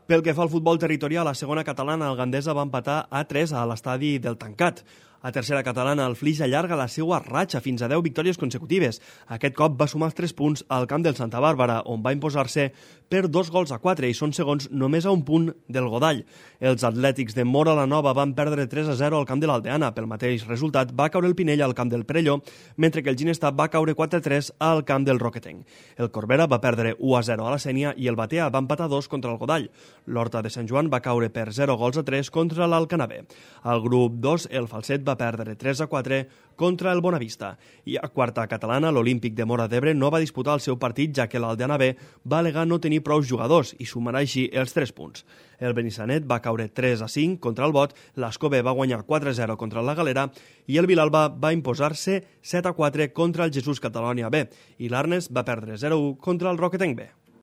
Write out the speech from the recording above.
Pel que fa al futbol territorial, a segona catalana, el Gandesa va empatar a 3 a l'estadi del Tancat. A tercera catalana, el Flix allarga la seva ratxa fins a 10 victòries consecutives. Aquest cop va sumar els 3 punts al camp del Santa Bàrbara, on va imposar-se per 2-4 i són segons només a un punt del Godall. Els atlètics de Móra la Nova van perdre 3-0 al camp de l'Aldeana. Pel mateix resultat, va caure el Pinell al camp del Perelló, mentre que el Ginestar va caure 4-3 al camp del Roquetenc. El Corbera va perdre 1-0 a la Sénia i el Batea va empatar 2 contra el Godall. L'Horta de Sant Joan va caure per 0-3 contra l'Alcanavè. Al grup 2, el Falset va perdre 3-4 contra el Bonavista. I a quarta catalana, l'Olímpic de Móra d'Ebre no va disputar el seu partit, ja que l'Aldeana B va al·legar no tenir prou jugadors i sumarà així els 3 punts. El Benissanet va caure 3-5 contra el Bot, l'Ascó B va guanyar 4-0 contra la Galera i el Vilalba va imposar-se 7-4 contra el Jesús Catalònia B i l'Arnes va perdre 0-1 contra el Roquetenc B.